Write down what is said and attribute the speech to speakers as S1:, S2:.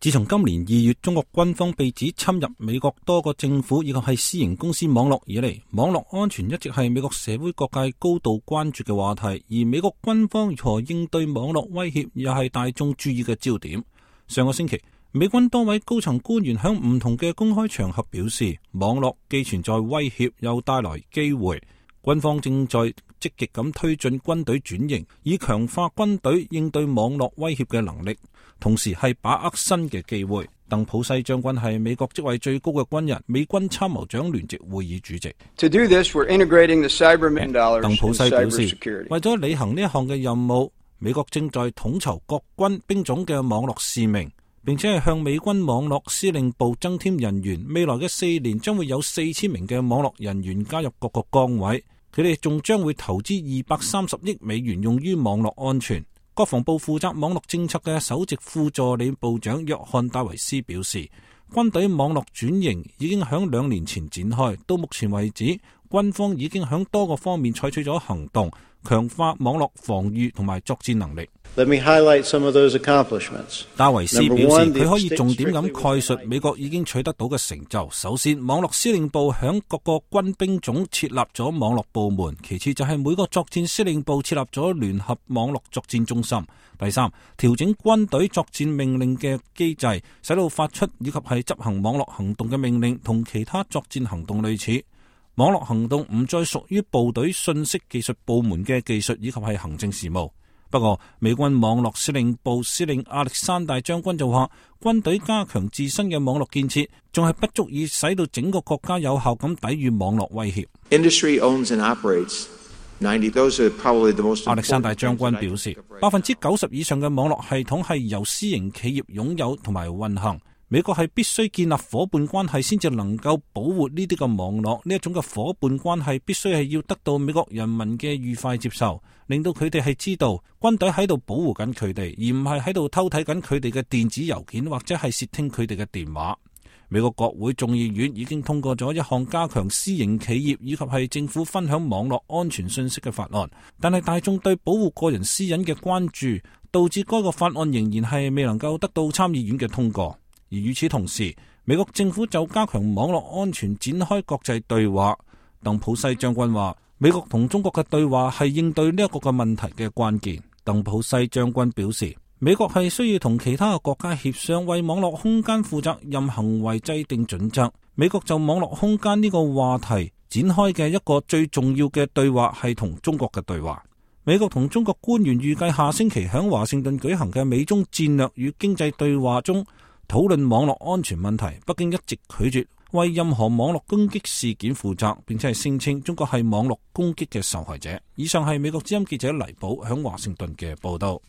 S1: 自從今年2月中國軍方被指侵入美國多個政府以及係私營公司網絡以嚟，網絡安全一直係美國社會各界高度關注嘅話題，而美國軍方如何應對網絡威脅又係大眾注意嘅焦點。上個星期，美軍多位高層官員響唔同嘅公開場合表示，網絡既存在威脅又帶來機會，軍方正在積極咁推進軍隊轉型，以強化軍隊應對網絡威脅嘅能力，同時係把握新嘅機會。鄧普西將軍係美國職位最高嘅軍人，美軍參謀長聯席會議主席。鄧普西表示，為咗履行呢一項嘅任務，美國正在統籌各軍兵種嘅網絡使命，並且係向美軍網絡司令部增添人員。未來嘅4年將會有4000名嘅網絡人員加入各個崗位。佢哋仲將會投資230億美元用於網絡安全。國防部負責網絡政策嘅首席副助理部長約翰戴維斯表示，軍隊網絡轉型已經響2年前展開，到目前為止，軍方已經響多個方面採取咗行動，強化網絡防禦同埋作戰能力。
S2: Let me highlight some of those accomplishments.
S1: 戴維斯表示，佢可以重點咁概述美國已經取得到嘅成就。首先，網絡司令部響各個軍兵種設立咗網絡部門；其次就係每個作戰司令部設立咗聯合網絡作戰中心；第三，調整軍隊作戰命令嘅機制，使到發出以及係執行網絡行動嘅命令同其他作戰行動類似。網絡行動唔再屬於部隊信息技術部門嘅技術以及係行政事務。不過，美軍網絡司令部司令亞歷山大將軍就話，軍隊加強自身嘅網絡建設，仲係不足以使到整個國家有效咁抵禦網絡威脅。
S3: Industry owns and operates 90. Those are probably the most important.
S1: 亞歷山大將軍表示，90%以上嘅網絡系統係由私營企業擁有同埋運行。美國係必須建立夥伴關係先至能夠保護呢啲嘅網絡，呢一種嘅夥伴關係必須係要得到美國人民嘅愉快接受，令到佢哋係知道軍隊喺度保護緊佢哋，而唔係喺度偷睇緊佢哋嘅電子郵件或者係竊聽佢哋嘅電話。美國國會眾議院已經通過咗一項加強私營企業以及係政府分享網絡安全信息嘅法案，但係大眾對保護個人私隱嘅關注，導致該個法案仍然係未能夠得到參議院嘅通過。而與此同時，美國政府就加強網絡安全展開國際對話。鄧普西將軍話，美國同中國嘅對話係應對呢一個嘅問題嘅關鍵。鄧普西將軍表示，美國係需要同其他嘅國家協商，為網絡空間負責任行為制定準則。美國就網絡空間呢個話題展開嘅一個最重要嘅對話係同中國嘅對話。美國同中國官員預計下星期喺華盛頓舉行嘅美中戰略與經濟對話中討論網絡安全問題。北京一直拒絕為任何網絡攻擊事件負責，並且係聲稱中國係網絡攻擊嘅受害者。以上係美國之音記者黎寶喺華盛頓嘅報道。